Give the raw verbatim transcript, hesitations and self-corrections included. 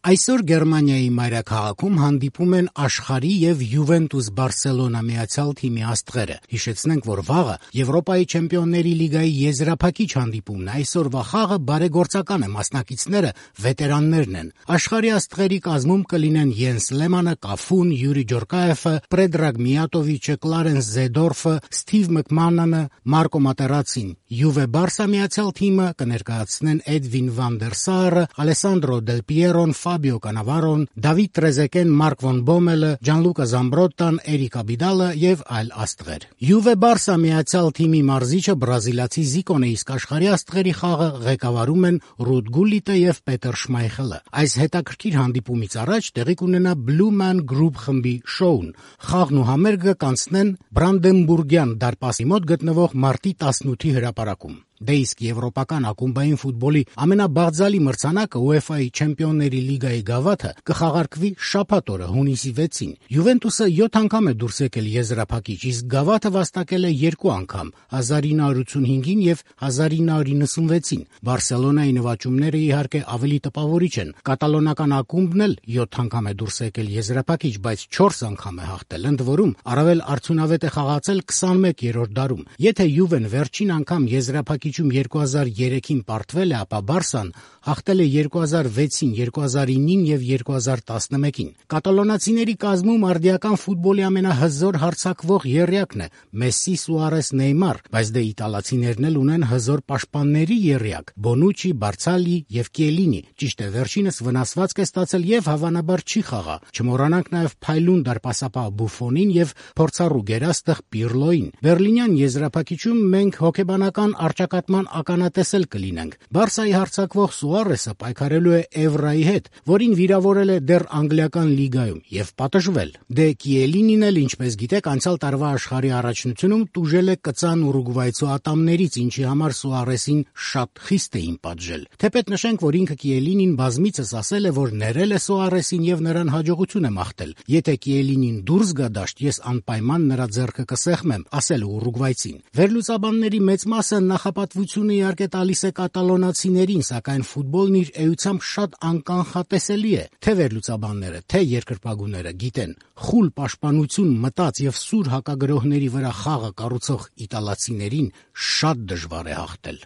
Այսօր Գերմանիայի մայրաքաղաքում հանդիպում են աշխարհի եւ Յուվենտուս Բարսելոնա միացյալ թիմի աստղերը։ Հիշեցնենք, որ վաղը Եվրոպայի չեմպիոնների լիգայի եզրափակիչ հանդիպումն է։ Այսօրվա խաղը բարեգործական է, մասնակիցները վետերաններն են։ Աշխարհի աստղերի կազմում կլինեն Յենս Լեմանը, Կաֆուն, Յուրի Ջորկաևը, Պրեդրագ Միատովիչը, Կլարենս Զեդորֆը, Սթիվ Մկմանանը, Մարկո Մատերացին։ Յուվե Բարսա միացյալ թիմը կներկայացնեն Էդվին Վան դեր Սարը, Ալեսանդրո Դել Պիերոն, Ֆաբիո Կանավարոն, Դավիթ Տրեզեկեն, Մարկ Վոն Բոմելը, Ջանլուկա Զամբրոտան, Էրիկ Աբիդալը եւ այլ աստղեր։ Յուվե Բարսա միացյալ թիմի մարզիչը բրազիլացի Զիկոն է, իսկ աշխարհի աստղերի խաղը ղեկավարում են Ռուդ Գուլիտը եւ Պետեր Շմայխելը։ Այս հետաքրքիր հանդիպումից առաջ տեղի կունենա Blue Man Group խմբի շոուն։ Խաղն ու համերգը կանցնեն Բրանդենբուրգյան դարպասի մոտ գտնվող մարտի տասնութի հրապարակում։ Դե իսկ եվրոպական ակումբային ֆուտբոլի ամենաբաղձալի մրցանակը ՈՒԵՖԱ-ի Չեմպիոնների լիգայի գավաթը կխաղարկվի շաբաթ օրը հունիսի վեցին։ Յուվենտուսը յոթ անգամ է դուրս եկել եզրափակիչ, իսկ գավաթը վաստակել է երկու անգամ՝ հազար ինը հարյուր ութունհինգին եւ հազար ինը հարյուր իննսունվեցին։ Բարսելոնայի նվաճումները իհարկե ավելի տպավորիչ են։ Կատալոնական ակումբն էլ յոթ անգամ է դուրս եկել եզրափակիչ, բայց չորս անգամ է հաղթել։ Ընդ որում առավել արդյունավետ է խաղացել քսանմեկերորդ դարում։ Եթե Յուվեն վերջին անգամ եզրափակիչ երկու հազար երեքին պարտվել է, ապա Բարսան հաղթել է երկու հազար վեցին, երկու հազար ինին եւ երկու հազար տասնմեկին։ Կատալոնացիների կազմում արդիական ֆուտբոլի ամենահզոր հարձակվող եռյակն է Մեսսի, Սուարես, Նեյմար, բայց դե իտալացիներն էլ ունեն հզոր պաշտպանների եռյակ՝ Բոնուչի, Բարցալի եւ Կիելինի։ Ճիշտ է, վերջինս վնասվածք է ստացել եւ հավանաբար չի խաղա։ Չմոռանանք նաեւ փայլուն դարպասապահ Բուֆոնին եւ փորձառու գերաստղ Պիրլոին։ Բերլինյան եզրափակիչում մենք հոգեբանական առճակատման ականատեսել կլինենք։ Բարսայի հարձակվող Սուարեսը պայքարելու է Էվրայի հետ, որին վիրավորել է դեռ անգլիական լիգայում եւ պատժվել։ Դե Կիելինին էլ, ինչպես գիտեք, անցյալ տարվա աշխարհի առաջնությունում տուժել է կծան Ուրուգվայցու ատամներից, ինչի համար Սուարեսին շատ խիստ էին պատժել։ Թեպետ նշենք, որ ինքը Կիելինին բազմիցս ասել է, որ ներել է Սուարեսին եւ նրան հաջողություն է մաղթել։ Եթե Կիելինին դուրս գա դաշտ, ես անպայման նրա ձեռքը կսեղմեմ, ասել է Ուրուգվայցին։ Վերլուծաբանների մեծ մասը նախապատվությունը իհարկե տալիս է կատալոնացիներին, սակայն ֆուտբոլն իր էությամբ շատ անկանխատեսելի է։ Թե վերլուծաբանները, թե երկրպագուները գիտեն, խուլ պաշտպանություն, մտած եւ սուր հակագրոհների վրա խաղը կառուցող իտալացիներին շատ դժվար է հաղթել։